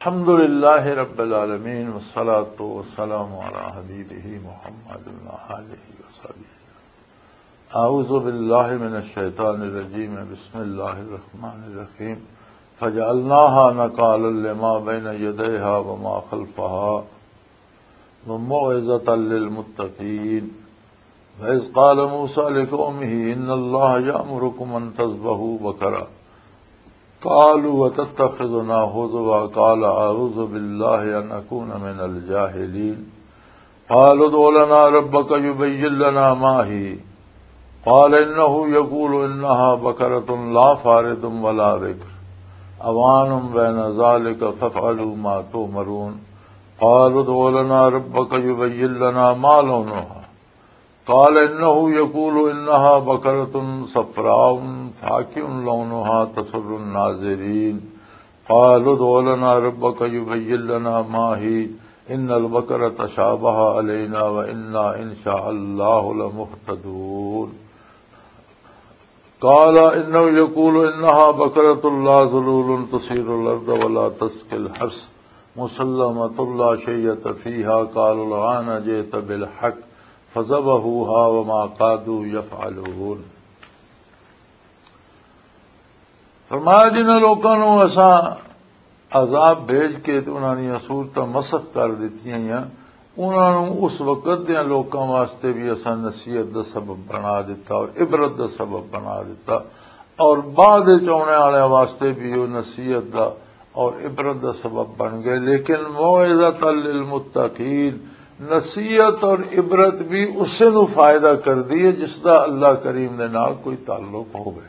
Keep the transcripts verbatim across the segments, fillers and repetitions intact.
الحمد لله رب العالمين، والصلاة والسلام على حبيبه محمد وآله وصحبه. أعوذ بالله من الشيطان الرجيم. بسم الله الرحمن الرحيم. فجعلناها نكالا لما بين يديها وما خلفها وموعظة للمتقين. وإذ قال موسى لقومه إن الله يأمركم أن تذبحوا بقرة. قالوا أتتخذنا هزوا؟ قال أعوذ بالله أن أكون من الجاهلين. قالوا ادع لنا ربك يبين لنا ما هي. قال إنه يقول إنها بقرة لا فارض ولا بكر عوان بين ذلك فافعلوا ما تؤمرون. قالوا ادع لنا ربك يبين لنا ما لونها. قال إنه يقول إنها بقرة صفراء فاقع لونها تسر الناظرين. قالوا ادع لنا ربك يبين لنا ما هي إن البقرة تشابه علينا وإنا إن شاء الله لمهتدون. قال إنه يقول إنها بقرة لا ذلول تثير الأرض ولا تسقي الحرث مسلمة لا شية فيها. قالوا الآن جئت بالحق فذبحوها وما كادوا يفعلون. فرمایا، جنہاں لوکاں نوں اساں عذاب بھیج کے تے انہاں دیاں صورتاں مسخ کر دتیاں، انہاں نوں اس وقت دیاں لوکاں واسطے بھی اساں نصیحت دا سبب بنا دتا اور عبرت دا سبب بنا دتا، اور بعد وچ آنے والے واسطے بھی وہ نصیحت دا اور عبرت دا سبب بن گئے۔ لیکن موعظۃ للمتقین، نصیحت اور عبرت بھی اسے نوں فائدہ کردی ہے جس دا اللہ کریم دے نال کوئی تعلق ہوئے۔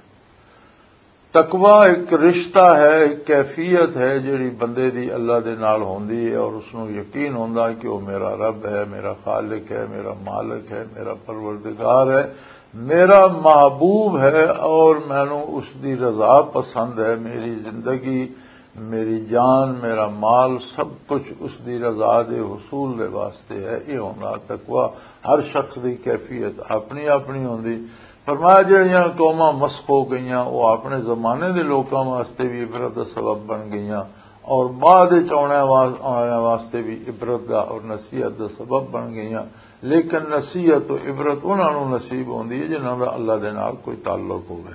تقوی ایک رشتہ ہے، ایک کیفیت ہے جڑی بندے دی اللہ دے نال ہوندی ہے، اور اس نوں یقین ہوندا کہ وہ میرا رب ہے، میرا خالق ہے، میرا مالک ہے، میرا پروردگار ہے، میرا محبوب ہے، اور مینوں اس دی رضا پسند ہے۔ میری زندگی، میری جان، میرا مال، سب کچھ اس دی رضا دے حصول دے واسطے ہے۔ یہ ہوندا تقوی۔ ہر شخص دی کیفیت اپنی اپنی ہوندی۔ فرمایا، جہڑیاں قوماں مسخ ہو گئیاں، وہ اپنے زمانے دے لوکاں واسطے بھی عبرت دا سبب بن گئیاں، اور بعد وچ آنے وا-، آنے واسطے بھی عبرت دا اور نصیحت دا سبب بن گئیاں۔ لیکن نصیحت و عبرت انہاں نوں نصیب ہوندی ہے جنہاں دا اللہ دے نال کوئی تعلق ہوئے۔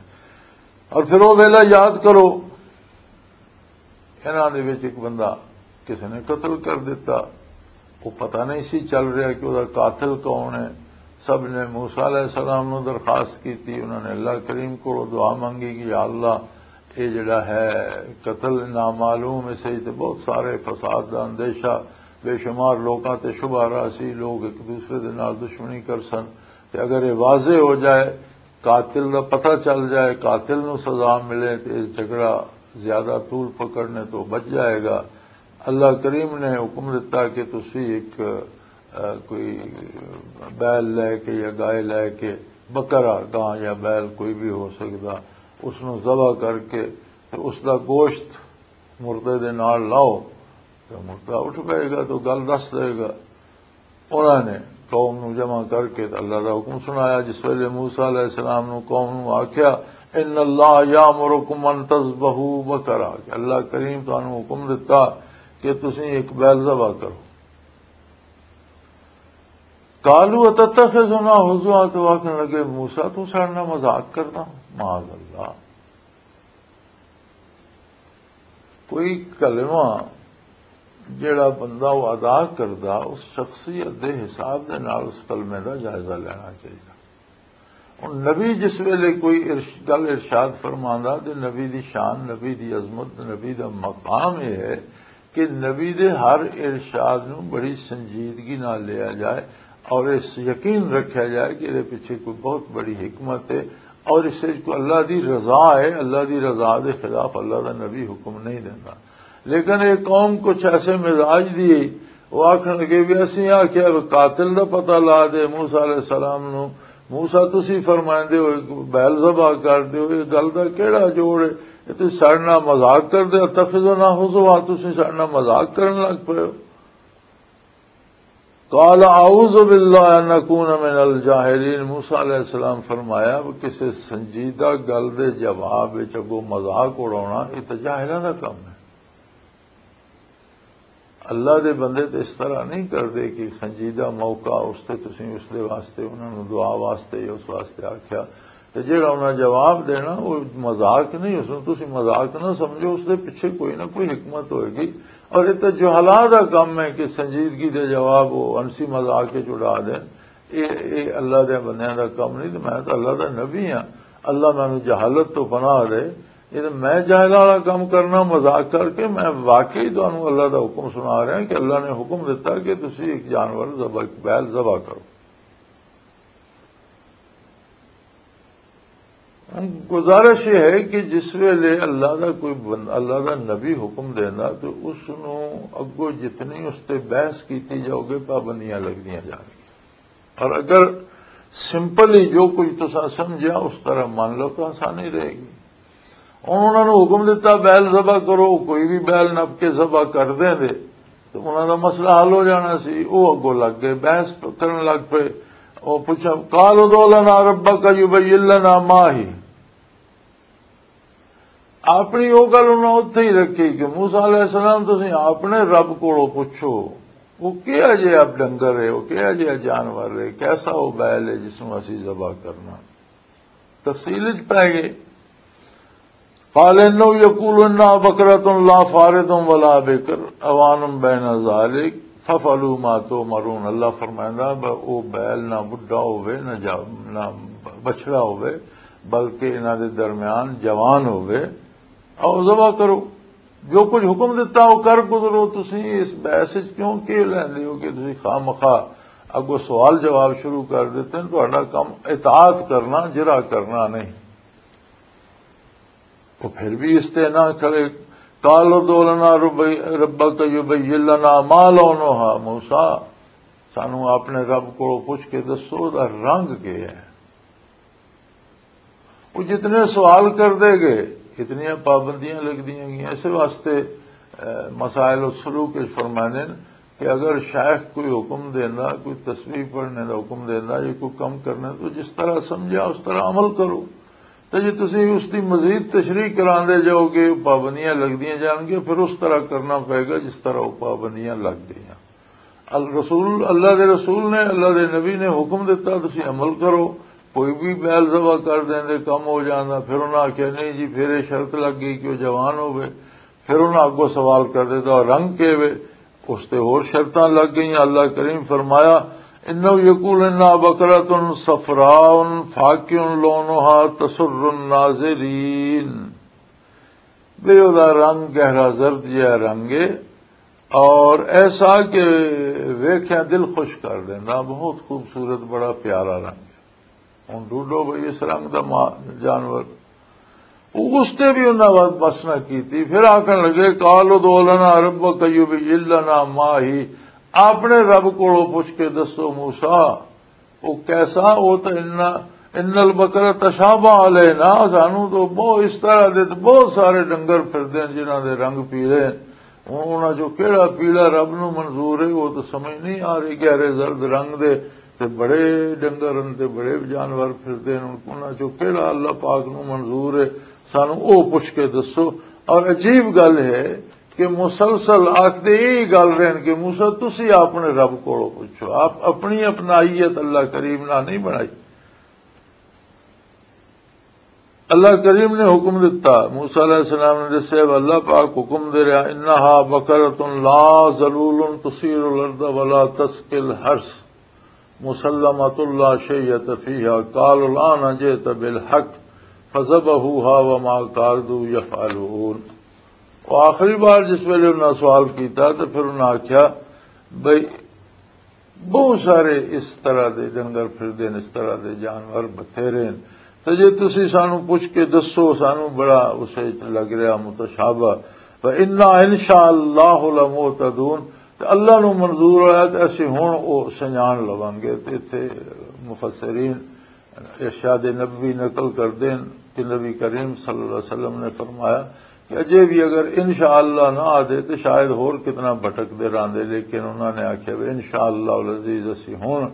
اور پھر وہ ویلا یاد کرو، انہاں دے وچ ایک بندہ کسے نے قتل کر دتا، وہ پتہ نہیں سی چل رہا کہ وہ قاتل کون ہے۔ سب نے موسیٰ علیہ السلام نو درخواست کی تھی، انہوں نے اللہ کریم کو دعا مانگی کہ یا اللہ، یہ جڑا ہے قتل نامعلوم، اس وچ تے بہت سارے فساد دا اندیشہ، بے شمار لوکاں تے شبہ رہا سی، لوگ ایک دوسرے دے نال دشمنی کر سن، تے اگر یہ واضح ہو جائے، قاتل دا پتہ چل جائے، قاتل نو سزا ملے تے یہ جھگڑا زیادہ طول پکڑنے تو بچ جائے گا۔ اللہ کریم نے حکم دیتا کہ تسی ایک، آ، کوئی بیل لے کے یا گائے لے کے، بکرا، گاں یا بیل کوئی بھی ہو سکدا، اس نو ذبح کر کے تے اس دا گوشت مردے دے نال لاؤ، تے مردہ اٹھ پائے گا تو گل دس دے گا۔ انہاں نے قوم نو جمع کر کے تے اللہ دا حکم سنایا۔ جس ویلے موسیٰ علیہ السلام نو قوم نو آکھیا، "ان اللہ یامرکم ان تذبحوا بقرہ"، کہ اللہ کریم تانوں حکم دتا کہ تسی ایک بیل ذبح کرو۔ "قالوا اتتخذنا ہزوا"، تو آکھن لگے، "موسیٰ، تو ساڈے نال مذاق کردا؟" معاذ اللہ۔ کوئی کلمہ جڑا بندہ وہ ادا کردا، اس شخصیت دے حساب دے نال اس کلمے دا جائزہ لینا چاہیے۔ ہن نبی جس ویلے کوئی ارش-، گل ارشاد فرماندا، تے نبی دی شان، نبی دی عظمت، نبی دا مقام یہ ہے کہ نبی دے ہر ارشاد نوں بڑی سنجیدگی نال لیا جائے، اور اس یقین رکھیا جائے کہ یہ پیچھے کوئی بہت بڑی حکمت ہے، اور اس وچ کوئی اللہ دی رضا ہے۔ اللہ دی رضا دے خلاف اللہ دا نبی حکم نہیں دیندا۔ لیکن یہ قوم کچھ ایسے مزاج دی ہے، وہ آکھن لگے بھی اسی آکھیا بھی قاتل دا پتہ لا دے موسیٰ علیہ السلام نو، موسیٰ تسی فرمائندے ہو ایک بیل ذبح کر دیو، یہ گل دا کیڑا جوڑ ہے؟ یہ تسی ساڈے نال مذاق کر دے، اتخذنا ہزوا، تسی ساڈے نال مذاق کرن لگ پئے ہو۔ قال اعوذ باللہ ان اکون من الجاہلین۔ موسیٰ علیہ السلام فرمایا، "وہ کسے سنجیدہ گل دے جواب وچ اگوں مذاق اڑاونا، یہ تے جاہلاں دا کم ہے۔" اللہ دے بندے تے اس طرح نہیں کردے کہ سنجیدہ موقع اس تے تسی اس دے واسطے، انہاں نوں دعا واسطے یا اس واسطے آکھیا۔ تے جیڑا انہاں جواب دینا، وہ مذاق نہیں، اس نوں تسی مذاق نہ سمجھو، اس دے پیچھے کوئی نہ کوئی حکمت ہوئے گی۔ اور یہ تو جہلا دا کم ہے کہ سنجیدگی دے جواب وہ انسی مذاق وچ اڑا دین۔ اے، اے اللہ دے بندیاں دا کم نہیں، تے میں تو اللہ دا نبی ہاں۔ اللہ مینوں جہالت تو پناہ دے۔ یہ تو میں جاہل والا کم کرنا مذاق کر کے، میں واقعی تانوں اللہ دا حکم سنا رہا کہ اللہ نے حکم دیتا کہ تسی ایک جانور ذبح، ایک بیل ذبح کرو۔ گزارش یہ ہے کہ جس ویلے اللہ دا کوئی بند-، اللہ دا نبی حکم دینا تو اس نوں اگوں جتنی اس تے بحث کیتی جاؤ گے، پابندیاں لگدیاں جان گیاں۔ اور اگر سمپل ہی جو کچھ تساں سمجھیا اس طرح مان لو تو آسانی رہے گی۔ ہن انہاں نوں حکم دتا، "بیل ذبح کرو"، کوئی بھی بیل نپ کے ذبح کر دیں دے، تو انہاں دا مسئلہ حل ہو جانا سی۔ وہ اگوں لگ گئے، بحث کرن لگ پئے۔ وہ پوچھا، "قالوا ادع لنا ربك يبين لنا ما هي۔" اپنی وہ گل انہاں اتھے ہی رکھی کہ موسیٰ علیہ السلام، تسی اپنے رب کولوں پوچھو، وہ کیا جے اب ڈنگر ہے، وہ کیا جے جانور ہے، کیسا وہ بیل ہے جس نوں اسی ذبح کرنا۔ تفصیل وچ پے گئے۔ قال انه يقول انها بقرة لا فارض ولا بكر عوان بين ذلك فافعلوا ما تؤمرون۔ اللہ فرمائندا، ب-، او بیل نہ بڈھا ہوے، نہ جا-، نہ بچڑا ہوے، بلکہ انہاں دے درمیان جوان ہوے، او ذبح کرو۔ جو کچھ حکم دتا، وہ کر گزرو۔ تسی اس بحث وچ کیوں کی لیندے ہو کہ تسی خامخواہ اگوں سوال جواب شروع کر دیتے ہیں؟ تہاڈا کم اطاعت کرنا، جرا کرنا نہیں۔ وہ پھر بھی اس تے نہ کھڑے۔ "قالوا ادع لنا رب-، ربك يبين لنا ما لونها"، موسیٰ، سانو اپنے رب کو پوچھ کے دسو، دا رنگ کے ہے؟ وہ جتنے سوال کر دے گئے، اتنی پابندیاں لگ دیاں گئیاں۔ اس واسطے، اے، مسائل السلوک وچ فرمانے کہ اگر شیخ کوئی حکم دیندا، کوئی تسبیح پڑھنے دا حکم دیندا یا کوئی کم کرنا، تو جس طرح سمجھا اس طرح عمل کرو۔ تے جے تسی اس دی مزید تشریح کراندے جاؤ گے، پابندیاں لگدیاں جان گیاں، پھر اس طرح کرنا پئے گا جس طرح وہ پابندیاں لگ گئیاں۔ الرسول، اللہ دے رسول نے، اللہ دے نبی نے حکم دیتا، تسی عمل کرو۔ کوئی بھی بیل ذبح کر دیندے، کم ہو جاندا۔ پھر انہاں آکھیا، "نہیں جی، پھر یہ شرط لگ گئی کہ وہ جوان ہوے۔" پھر انہاں اگوں سوال کر دیتا، "اور رنگ کے وے؟" اس تے ہور شرطاں لگ گئیاں۔ اللہ کریم فرمایا، "انه يقول انها بقرة صفراء فاقع لونها تسر الناظرين۔" بے، او دا رنگ گہرا زرد جہا رنگ ہے اور ایسا کہ ویکھیا دل خوش کر دینا، بہت خوبصورت، بڑا پیارا رنگ ہے۔ ہن ڈھونڈو بھئی اس رنگ دا ما-، جانور۔ او اس تے بھی انہاں وقت بس نہ کیتی۔ پھر آکھن لگے، "قالوا ادع لنا ربك يبين لنا ما هي۔" اپنے رب کولوں پوچھ کے دسو موسیٰ، او کیسا؟ او تے ان، ان البقرہ تشابہ علینا، سانو تو بہت اس طرح دے تے بہت سارے ڈنگر پھردے ہیں جنہاں دے رنگ پیلے ہیں۔ ہن انہاں چوں کیڑا پیلا رب نو منظور ہے، وہ تو سمجھ نہیں آ رہی۔ گہرے زرد رنگ دے تے بڑے ڈنگر ہن تے بڑے جانور پھردے ہن، انہاں چوں کیڑا اللہ پاک نو منظور ہے؟ سانو او پوچھ کے دسو۔ اور عجیب گل ہے کہ مسلسل آکھدے یہی گل رہن کہ موسیٰ، تسی اپنے رب کولوں پوچھو، آپ اپنی اپنائیت اللہ کریم نہ نہیں بنائی۔ اللہ کریم نے حکم دتا، موسیٰ علیہ السلام نے دسیا، اللہ پاک حکم دے رہا، "انہا بقرۃ لا ذلول تثیر الارض ولا تسقی الحرث مسلمۃ لا شیۃ فیہا، قالوا الآن جئت بالحق فذبحوها وما کادوا یفعلون۔" وہ آخری بار جس ویلے انہاں سوال کیتا تو پھر انہاں آکھیا، بھئی، بہت سارے اس طرح دے ڈنگر پھردے نے، اس طرح دے جانور بتھیرے نے۔ تے جے تسی سانو پوچھ کے دسو، سانو بڑا اسے وچ لگ رہا متشابہ۔ فإنا إن شاء الله لمهتدون۔ تے اللہ نو منظور ہویا تے اسی ہن او سنجان لواں گے۔ تے اتھے مفسرین ارشاد نبوی نقل کردے ہیں کہ نبی کریم صلی اللہ علیہ وسلم نے فرمایا کہ اجے بھی اگر انشاءاللہ نہ آدے تو شاید ہور کتنا بھٹکدے راندے، لیکن انہاں نے آکھیا، "وے انشاءاللہ العزیز، اسی ہن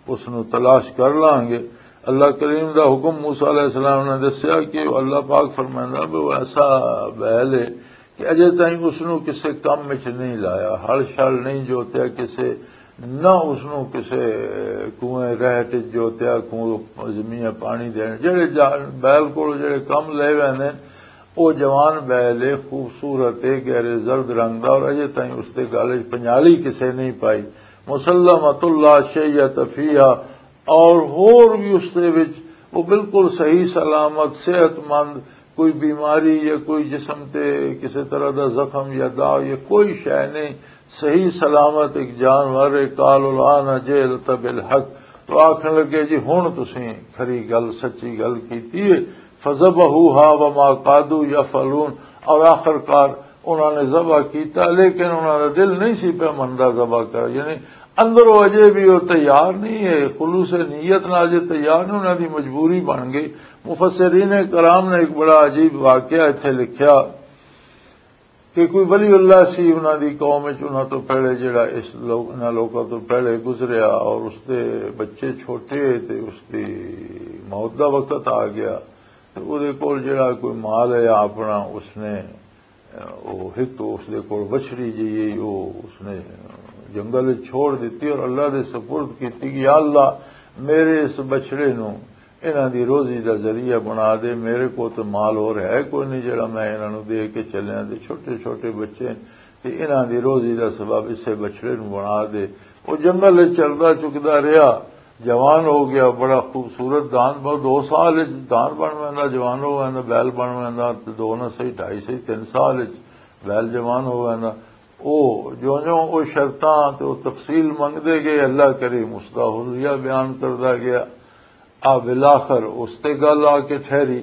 اس نو تلاش کر لانگے۔" اللہ کریم دا حکم، موسیٰ علیہ السلام نے دسیا کہ اللہ پاک فرمائندا بھی وہ ایسا بیل ہے کہ اجے تائیں اس نوں کسے کم وچ نہیں لایا، ہل شل نہیں جوتیا کسے، نہ اس نوں کسے کنویں رہٹ وچ جوتیا، کنویں زمین پانی دین۔ جڑے جا-، بیل کول جڑے کم لے ویندے نے، او جوان بیل ہے، خوبصورت ہے، گہرے زرد رنگ دا، اور اجے تائیں اس دے گل وچ پنجالی کسے نہیں پائی۔ مسلمۃ لا شیۃ فیہا، اور ہور بھی اس دے وچ وہ بالکل صحیح سلامت، صحت مند، کوئی بیماری یا کوئی جسم تے کسی طرح دا زخم یا داغ یا کوئی شے نہیں، صحیح سلامت ایک جانور ہے۔ قال الآن جئت بالحق، تو آکھن لگے، "جی ہن تسیں کھری گل، سچی گل کیتی ہے۔" فذبحوها وما كادوا يفعلون، اور آخر کار انہاں نے ذبح کیتا، لیکن انہاں دا دل نہیں سی پیا مندا ذبح کر، یعنی اندروں اجے بھی وہ تیار نہیں ہے، خلوص نیت نال اجے تیار نہیں، انہاں دی مجبوری بن گئی۔ مفسرین کرام نے ایک بڑا عجیب واقعہ اتھے لکھیا کہ کوئی ولی اللہ سی انہاں دی قوم وچ، انہاں تو پہلے جڑا اس لوگ، انہاں لوکاں تو پہلے گزریا، اور اس دے بچے چھوٹے تے اس دی موت دا وقت آ گیا۔ تے او دے کول جڑا کوئی مال ہے اپنا، اس نے، او ہک اس دے کول بچڑی جئی ہے، او اس نے جنگل وچ چھوڑ دتی اور اللہ دے سپرد کیتی کہ یا اللہ، میرے اس بچڑے نوں انہاں دی روزی دا ذریعہ بنا دے، میرے کول تے مال ہور ہے کوئی نہیں جڑا میں انہاں نوں دے کے چلیاں، تے چھوٹے چھوٹے بچے، تے انہاں دی روزی دا سبب اسے بچڑے نوں بنا دے۔ او جنگل وچ چلدا چکدا رہیا، جوان ہو گیا، بڑا خوبصورت دان، بہت دو سال وچ دان بن ویندا، جوان ہو ویندا، بیل بن ویندا، تے دو نہ صحیح، ڈھائی صحیح، تین سال وچ بیل جوان ہو ویندا۔ او جو جو او شرطاں تے او تفصیل منگدے گئے، اللہ کریم اس دا حلیہ بیان کردا گیا۔ آ بالآخر اس تے گل آ کے ٹھہری۔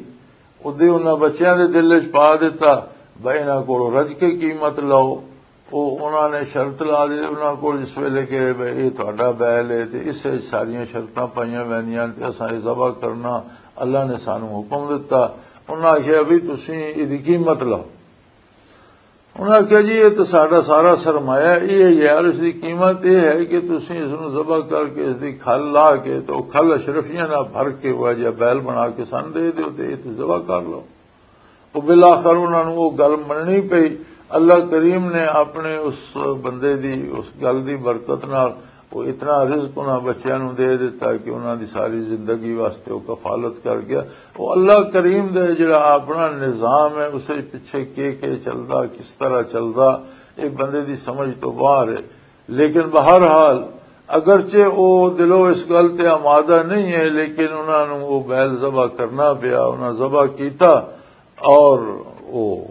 ادے انہاں بچیاں دے دل وچ پا دیتا، بھئی انہاں کولوں رج کے قیمت لو۔ او انہاں نے شرط لا دے، انہاں کول جس ویلے کہ بھئی اے تہاڈا بیل ہے تے اس وچ ساریاں شرطاں پائیاں ویندیاں تے اساں اے ذبح کرنا، اللہ نے سانوں حکم دتا۔ انہاں آکھیا، "بھی تسیں ایدی قیمت لاؤ۔" انہاں آکھیا، "جی، اے تے ساڈا سارا سرمایہ اے ہے یار، اس دی قیمت اے ہے کہ تسیں اس نوں ذبح کر کے، اس دی کھل لا کے تے او کھل اشرفیاں نال بھر کے وہ جا بیل بنا کے سن دے دیو تے اے تے ذبح کر لو۔" او بالآخر انہاں نوں او گل مننی پئی۔ اللہ کریم نے اپنے اس بندے دی، اس گل دی برکت نال وہ اتنا رزق انہاں بچیاں نوں دے دیتا کہ انہاں دی ساری زندگی واسطے وہ کفالت کر گیا۔ وہ اللہ کریم دے جڑا اپنا نظام ہے، اسے پچھے کے کے چلدا، کس طرح چلدا، یہ بندے دی سمجھ تو باہر ہے۔ لیکن بہرحال، اگرچہ وہ دلوں اس گل تے آمادہ نہیں ہے، لیکن انہاں نوں وہ بیل ذبح کرنا پیا، انہاں ذبح کیتا۔ اور وہ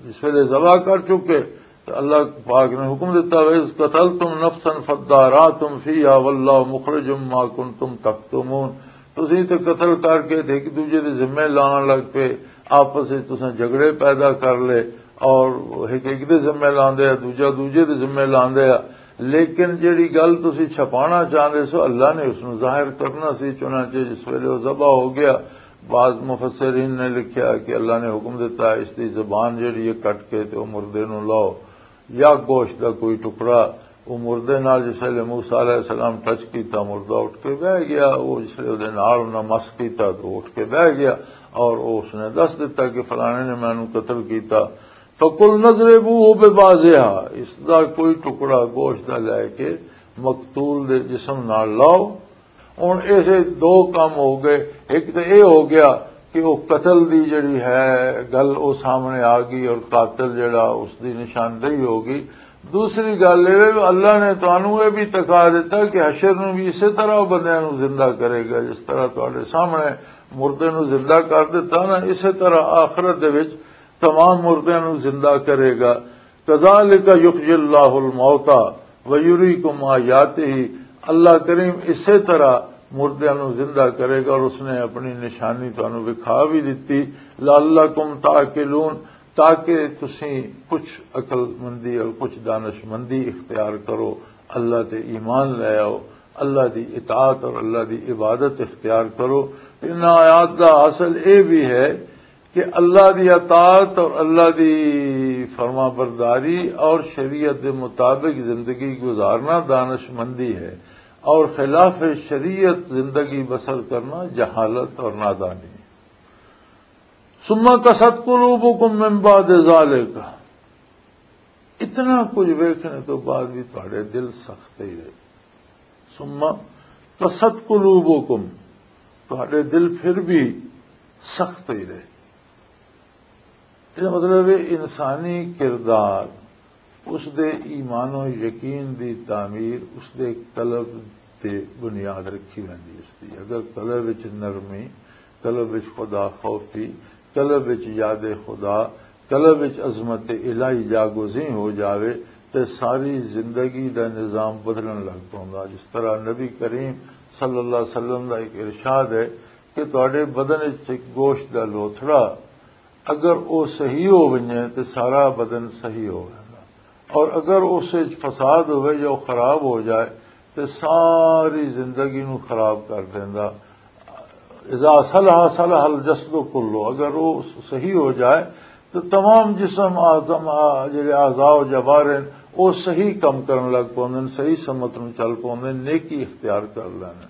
اس ویلے ذبح کر چکے، تو اللہ پاک نے حکم دیتا، "وَإِذْ قَتَلْتُمْ نَفْسًا فَادَّارَأْتُمْ فِيهَا وَاللَّهُ مُخْرِجٌ مَا كُنْتُمْ تَكْتُمُونَ۔" تسی تے قتل کر کے تے ایک دوجے دے ذمے لان لگ پے، آپس وچ تساں جھگڑے پیدا کر لے، اور ایک ایک دے ذمے لاندے آ، دوجا دوجے دے ذمے لاندے آ۔ لیکن جیڑی گل تسی چھپانا چاہندے سو، اللہ نے اس نوں ظاہر کرنا سی۔ چنانچہ جس ویلے وہ ذبح ہو گیا، بعض مفسرین نے لکھیا کہ اللہ نے حکم دیتا، اس دی زبان جڑی ہے کٹ کے تے او مردے نوں لاؤ، یا گوشت دا کوئی ٹکڑا۔ او مردے نال جس ویلے موسیٰ علیہ السلام ٹچ کیتا، مردہ اٹھ کے بہ گیا۔ او جس ویلے اودے نال انہاں مس کیتا تو اٹھ کے بہ گیا، اور او اس نے دس دیتا کہ فلانے نے مینوں قتل کیتا۔ فقل نضربوه ببعضها، اس دا کوئی ٹکڑا گوشت دا لے کے مقتول دے جسم نال لاؤ۔ ہن ایسے دو کم ہو گئے، ایک تے اے ہو گیا کہ وہ قتل دی جڑی ہے گل وہ سامنے آ گئی اور قاتل جڑا اس دی نشاندہی ہو گئی۔ دوسری گل یہ ہے کہ اللہ نے تانوں یہ بھی تکا دیتا کہ حشر نوں بھی اسی طرح بندیاں نوں زندہ کرے گا، جس طرح تہاڈے سامنے مردے نوں زندہ کر دیتا نا، اسی طرح آخرت دے وچ تمام مردیاں نوں زندہ کرے گا۔ کذالک یحیی اللہ الموتیٰ ویریکم آیاتہ، اللہ کریم اسی طرح مردیاں نوں زندہ کرے گا اور اس نے اپنی نشانی تانوں وکھا بھی دتی۔ لعلکم تعقلون، تاکہ تسی کچھ عقل مندی اور کچھ دانش مندی اختیار کرو، اللہ تے ایمان لے آؤ، اللہ دی اطاعت اور اللہ دی عبادت اختیار کرو۔ ان آیات دا حاصل اے بھی ہے کہ اللہ دی اطاعت اور اللہ دی فرما برداری اور شریعت دے مطابق زندگی گزارنا دانش مندی ہے، اور خلاف شریعت زندگی بسر کرنا جہالت اور نادانی ہے۔ ثم قست قلوبکم من بعد ذالک، اتنا کچھ ویکھنے تو بعد بھی تہاڈے دل سخت ہی رہے۔ ثم قست قلوبکم، تہاڈے دل پھر بھی سخت ہی رہے۔ یہ مطلب ہے، انسانی کردار، اس دے ایمان و یقین دی تعمیر اس دے قلب تے بنیاد رکھی ویندی۔ اس دی اگر قلب وچ نرمی، قلب وچ خدا خوفی، قلب وچ یاد خدا، قلب وچ عظمت الہی جاگوزیں ہو جاوے، تے ساری زندگی دا نظام بدلن لگ پوندا۔ جس طرح نبی کریم صلی اللہ علیہ وسلم دا ایک ارشاد ہے کہ تہاڈے بدن وچ ایک گوشت دا لوتھڑا، اگر او صحیح ہو ونجے تے سارا بدن صحیح ہو ویندا، اور اگر اس وچ فساد ہوئے یا او خراب ہو جائے تے ساری زندگی نو خراب کر دیندا۔ اذا صلح صلح الجسد کلو، اگر وہ صحیح ہو جائے تو تمام جسم، اعظم، آ، جڑے اعضاء و جوارح ہیں، وہ صحیح کم کرن لگ پوندے ہیں، صحیح سمت نو چل پوندے ہیں، نیکی اختیار کر لینے۔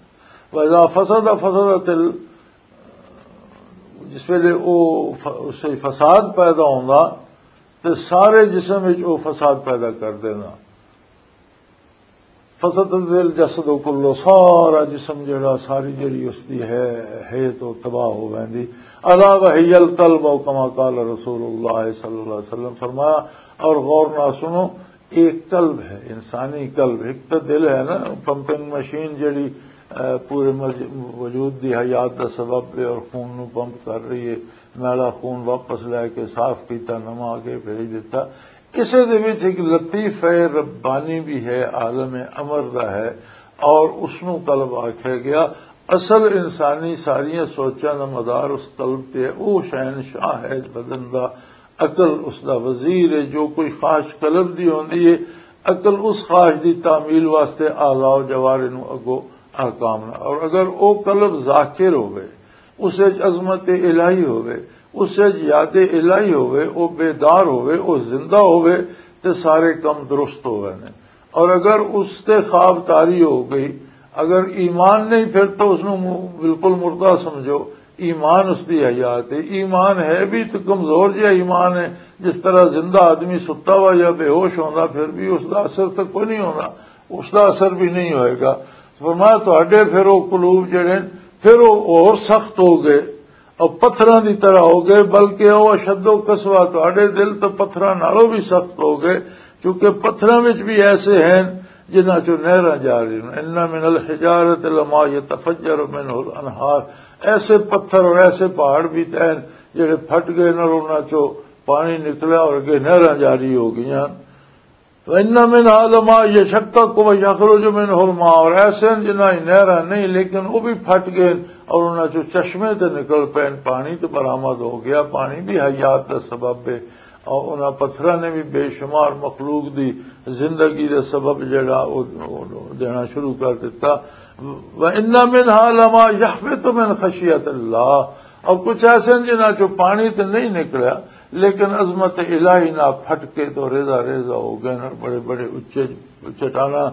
واذا فسد فسدت ال-، جس ویلے او ف-، اس وچ فساد پیدا ہوندا تے سارے جسم وچ او فساد پیدا کر دینا۔ فسد دل جسد و کلو، سارا جسم جڑا، ساری جڑی اس دی ہے، ہے تو تباہ ہو ویندی۔ الا وہی القلب، او کما قال رسول اللہ صلی اللہ علیہ وسلم، فرمایا، اور غور نہ سنو، ایک قلب ہے، انسانی قلب، ایک تو دل ہے نا، پمپنگ مشین جڑی، اے، پورے مج-، وجود دی حیات دا سبب ہے اور خون نو پمپ کر رہی ہے، میلا خون واپس لے کے صاف کیتا، نواں آگے بھیج دیتا۔ اسے دے وچ ایک لطیفہ ربانی بھی ہے، عالم امر دا ہے، اور اس نو قلب آکھیا گیا۔ اصل انسانی ساریاں سوچاں دا مدار اس قلب تے ہے۔ او شہنشاہ ہے بدن دا، عقل اس دا وزیر ہے۔ جو کوئی خواہش قلب دی ہوندی ہے، عقل اس خواہش دی تعمیل واسطے اعضاء و جوارح نو اگو احکام نہ۔ اور اگر او قلب ذاکر ہوئے، اس وچ عظمت الہی ہوئے، اس وچ یاد الہی ہوئے، او بیدار ہوئے، او زندہ ہوئے، تے سارے کم درست ہوئے نے۔ اور اگر اس تے خواب طاری ہو گئی، اگر ایمان نہیں، پھر تو اس نو مو-، بالکل مردہ سمجھو۔ ایمان اس دی حیات ہے، ایمان ہے بھی تو کمزور جہا ایمان ہے۔ جس طرح زندہ آدمی ستا ہوا یا بے ہوش ہوندا، پھر بھی اس دا اثر تو کوئی نہیں ہوندا، اس دا اثر بھی نہیں ہوئے گا۔ فرمایا، تہاڈے پھر او قلوب جڑے نے، پھر او اور سخت ہو گئے، او پتھراں دی طرح ہو گئے، بلکہ او اشد و قسوہ، تہاڈے دل تو پتھراں نالوں بھی سخت ہو گئے، کیونکہ پتھراں وچ بھی ایسے ہیں جنہاں چوں نہراں جا رہی ہیں۔ ان من الحجارۃ لما یتفجر منہ الانہار، ایسے پتھر اور ایسے پہاڑ بھی ہیں جڑے پھٹ گئے اور انہاں چوں پانی نکلا اور اگے نہراں جاری ہو گئیاں۔ وَإِنَّ مِنْهَا لَمَا يَشَقَّقُ وَيَخْرُجُ مِنْهُ الْمَاءُ، اور ایسے ہیں جنہاں ہی نہراں نہیں، لیکن وہ بھی پھٹ گئے اور انہاں چوں چشمے تے نکل پے، پانی تے برآمد ہو گیا۔ پانی بھی حیات دا سبب ہے، اور انہاں پتھراں نے بھی بے شمار مخلوق دی زندگی دا سبب جڑا، وہ، وہ دینا شروع کر دیتا۔ وَإِنَّ مِنْهَا لَمَا يَهْبِطُ مِنْ خَشْيَةِ اللَّهِ، اور کچھ ایسے ہیں جنہاں چوں پانی تے نہیں نکلیا، لیکن عظمت الہی نہ پھٹ کے تو ریزہ ریزہ ہو گئے اور بڑے بڑے اچے چٹاناں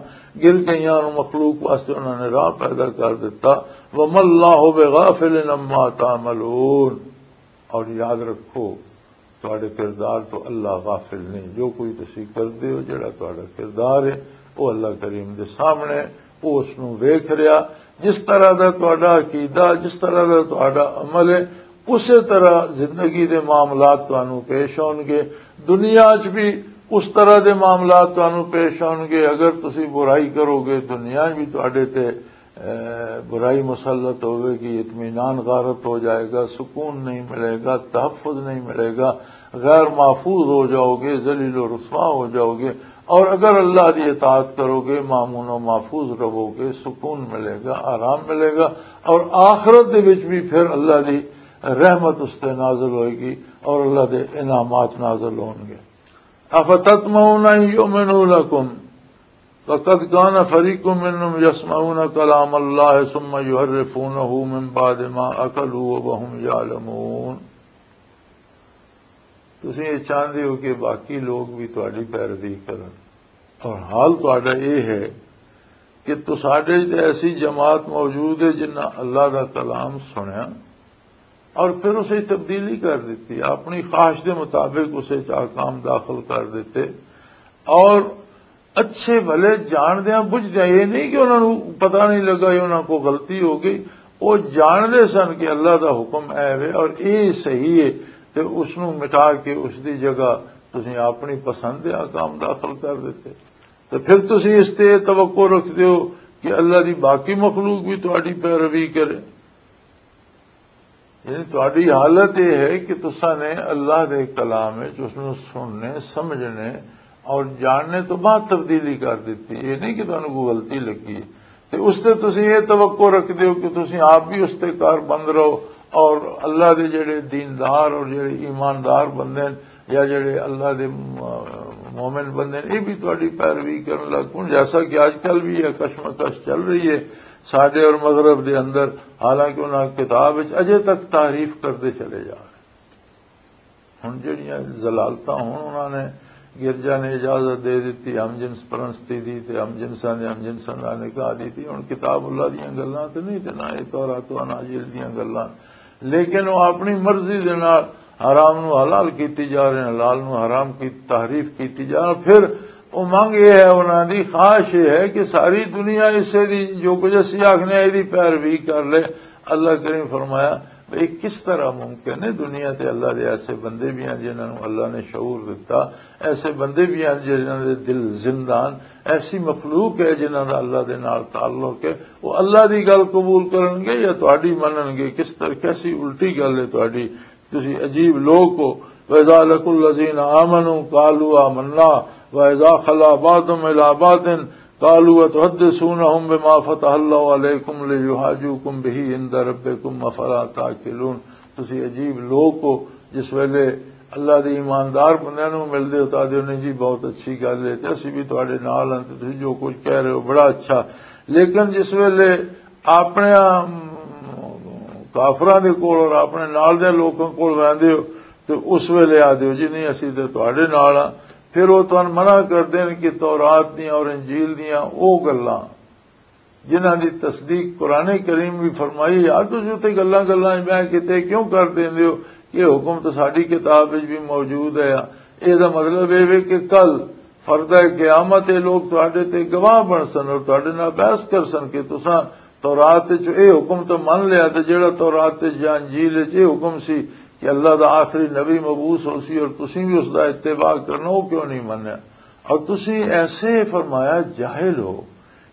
گر گئیاں اور مخلوق واسطے انہوں نے راہ پیدا کر دیتا۔ وَمَا اللَّهُ بِغَافِلٍ عَمَّا تَعْمَلُونَ، اور یاد رکھو، تہاڈے کردار تو اللہ غافل نہیں۔ جو کوئی تسی کردے ہو، جڑا تہاڈا کردار ہے، وہ اللہ کریم دے سامنے، وہ اس نو ویکھ رہا۔ جس طرح دا تہاڈا عقیدہ، جس طرح دا تہاڈا عمل ہے، اسی طرح زندگی دے معاملات تانوں پیش ہون گے۔ دنیا چ بھی اس طرح دے معاملات تانوں پیش ہون گے۔ اگر تسی برائی کرو گے، دنیا چ بھی تہاڈے تے اے، برائی مسلط ہوئے گی، اطمینان غارت ہو جائے گا، سکون نہیں ملے گا، تحفظ نہیں ملے گا، غیر محفوظ ہو جاؤ گے، ذلیل و رسوا ہو جاؤ گے۔ اور اگر اللہ دی اطاعت کرو گے، مامون و محفوظ رہو گے، سکون ملے گا، آرام ملے گا، اور آخرت دے وچ بھی پھر اللہ دی رحمت اس تے نازل ہوئے گی اور اللہ دے انعامات نازل ہون گے۔ افتطمعون ان یؤمنوا لکم وقد کان فریق منهم یسمعون کلام اللہ ثم یحرفونہ من بعد ما عقلوہ وهم یعلمون۔ تسی یہ چاہندے ہو کہ باقی لوگ بھی تہاڈی پیروی کرن، اور حال تہاڈا یہ ہے کہ تساڈے تے ایسی جماعت موجود ہے جنہاں اللہ دا کلام سنیا، اور پھر اسے تبدیلی کر دیتی، اپنی خواہش دے مطابق اسے چ احکام داخل کر دیتے۔ اور اچھے بھلے جاندیاں بجھدیاں، یہ نہیں کہ انہاں نوں پتہ نہیں لگا یا انہاں کو غلطی ہو گئی، وہ جاندے سن کہ اللہ دا حکم اے وے اور اے صحیح ہے، تے اس نوں مٹا کے اس دی جگہ تسیں اپنی پسند دے احکام داخل کر دیتے۔ تے پھر تسیں اس تے توقع رکھدے ہو کہ اللہ دی باقی مخلوق بھی تہاڈی پیروی کرے۔ یعنی تہاڈی حالت یہ ہے کہ تساں نے اللہ دے کلام وچ اس نوں سننے، سمجھنے اور جاننے تو بعد تبدیلی کر دتی۔ یہ نہیں کہ تانوں کوئی غلطی لگی۔ تے اس تے تسیں یہ توقع رکھدے ہو کہ تسیں آپ بھی اس تے کار بند رہو اور اللہ دے جڑے دیندار اور جڑے ایماندار بندے ہیں یا جڑے اللہ دے م-، مومن بندے ہیں، یہ بھی تہاڈی پیروی کرن لگ پون، جیسا کہ آج کل بھی یہ کشمکش چل رہی ہے ساڈے اور مغرب دے اندر، حالانکہ انہاں کتاب وچ اجے تک تعریف کردے چلے جا رہے۔ ہن جڑیاں ضلالتاں ہن انہاں نے، گرجا نے اجازت دے دتی ہم جنس پرستی دی تے ہم جنساں دے ہم جنساں دا نکاح دی تے ہن کتاب اللہ دیاں گلاں تے نہیں تے نہ اے تورات و اناجیل دیاں گلاں، لیکن وہ اپنی مرضی دے نال حرام نو حلال کیتی جا رہے ہیں، حلال نو حرام کی تعریف کیتی جا رہی۔ پھر امنگ یہ ہے، انہاں دی خواہش یہ ہے کہ ساری دنیا اسے دی جو کچھ اسی آخنے اے دی پیروی کر لے۔ اللہ کریم فرمایا، یہ کس طرح ممکن ہے؟ دنیا تے اللہ دے ایسے بندے بھی ہیں جنہاں نوں اللہ نے شعور دتا، ایسے بندے بھی ہیں جنہاں دے دل زندہ ہیں، ایسی مخلوق ہے جنہاں دا اللہ دے نال تعلق ہے، وہ اللہ دی گل قبول کرن گے یا تہاڈی منن گے؟ کس طرح، کیسی الٹی گل ہے تہاڈی؟ تسی عجیب لوگ ہو۔ وَإِذَا لَقُوا الَّذِينَ آمَنُوا قَالُوا آمَنَّا وَإِذَا خَلَا بَعْضُهُمْ إِلَىٰ بَعْضٍ قَالُوا أَتُحَدِّثُونَهُمْ بِمَا فَتَحَ اللَّهُ عَلَيْكُمْ لِيُحَاجُّوكُمْ بِهِ عِندَ رَبِّكُمْ أَفَلَا تَعْقِلُونَ۔ تسی عجیب لوگ ہو، جس ویلے اللہ دے ایماندار بندیاں نوں ملدے ہو تاں آدھے ہو، "نہیں جی، بہت اچھی گل ہے تے اسی بھی تہاڈے نال ہاں تے تسی جو کچھ کہہ رہے ہو بڑا اچھا۔" لیکن جس ویلے اپنے، ام، کافراں دے کول اور اپنے نال دے لوکاں کول ویندے ہو تے اس ویلے آدھے ہو، "جی نہیں، اسی تے تہاڈے نال ہاں۔" پھر وہ تہانوں منع کردے نے کہ تورات دیاں اور انجیل دیاں او گلاں جنہاں دی تصدیق قرآن کریم بھی فرمائی، یار تسی اتنے گلاں گلاں وچ بہہ کے تے کیوں کر دیندے ہو؟ یہ حکم تو ساڈی کتاب وچ بھی موجود ہے۔ اے دا مطلب اے وے کہ کل فردہ قیامت اے لوگ تہاڈے تے گواہ بن سن اور تہاڈے نال بحث کر سن کہ تساں تورات وچ اے حکم تو من لیا تے جڑا تورات وچ یا انجیل وچ اے حکم سی کہ اللہ دا آخری نبی مبعوث ہو سی اور تسیں بھی اس دا اتباع کرنا، وہ کیوں نہیں منیا؟ اور تسیں ایسے فرمایا جاہل ہو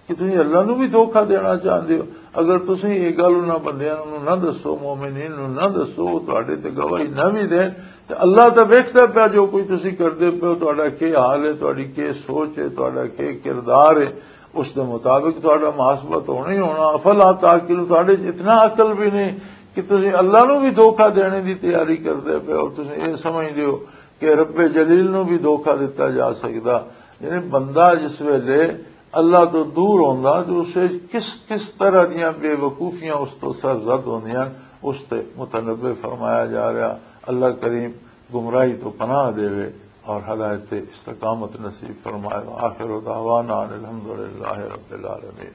کہ تسیں اللہ نو بھی دھوکا دینا چاہندے ہو۔ اگر تسیں یہ گل انہاں بندیاں نو نہ دسو، مومنین نو نہ دسو، وہ تہاڈے تے گواہی نہ بھی دین، تے اللہ تے ویکھدا پیا جو کچھ تسیں کردے پے ہو، تہاڈا کی حال ہے، تہاڈی کی سوچ ہے، تہاڈا کی کردار ہے، اس دے مطابق تہاڈا محاسبہ تو ہونا ہی ہونا۔ افلا تعقلون، تہاڈے چ اتنا عقل بھی نہیں کہ تسیں اللہ نو بھی دھوکا دینے دی تیاری کردے پے ہو، تسیں یہ سمجھدے ہو کہ رب جلیل نو بھی دھوکا دتا جا سکدا۔ یعنی بندہ جس ویلے اللہ تو دور ہوندا تو اسے کس کس طرح دیاں بے وقوفیاں اس تو سرزد ہوندیاں، اس تے متنبہ فرمایا جا رہا۔ اللہ کریم گمراہی تو پناہ دے اور ہدایت استقامت نصیب فرمائے۔ آخر دعوانا ان الحمدللہ رب العالمین۔